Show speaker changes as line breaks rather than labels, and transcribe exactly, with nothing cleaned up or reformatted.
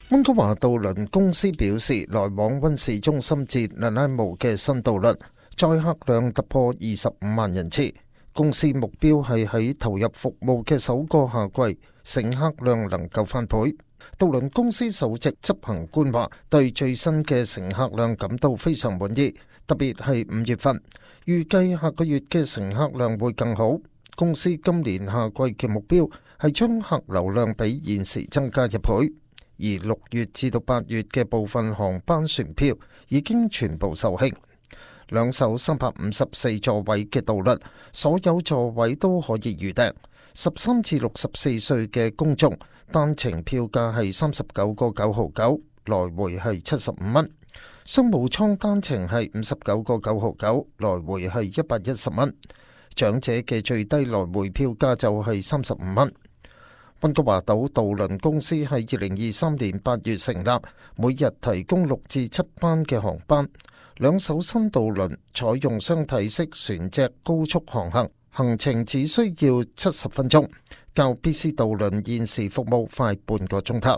溫哥華渡輪公司表示，來往溫市中心至南拉姆嘅新渡輪載客量突破二十五萬人次。公司目標係喺投入服務嘅首個夏季，乘客量能夠翻倍。渡輪公司首席執行官話，對最新嘅乘客量感到非常滿意，特別係五月份，預計下個月嘅乘客量會更好。公司今年夏季嘅目標係將客流量比現時增加一倍。而六月至到八月嘅部分航班船票已經全部售罄。兩艘三百五十四座位嘅渡輪，所有座位都可以預訂。十三至六十四歲嘅公眾單程票價係三十九個九毫九，來回係七十五蚊。商務艙單程係五十九個九毫九，來回係一百一十蚊。長者嘅最低來回票價就係三十五蚊。溫哥華島渡輪公司喺二零二三年八月成立，每日提供六至七班嘅航班。兩艘新渡輪採用雙體式船隻高速航行，行程只需要七十分鐘，較 B C 渡輪現時服務快半個鐘頭。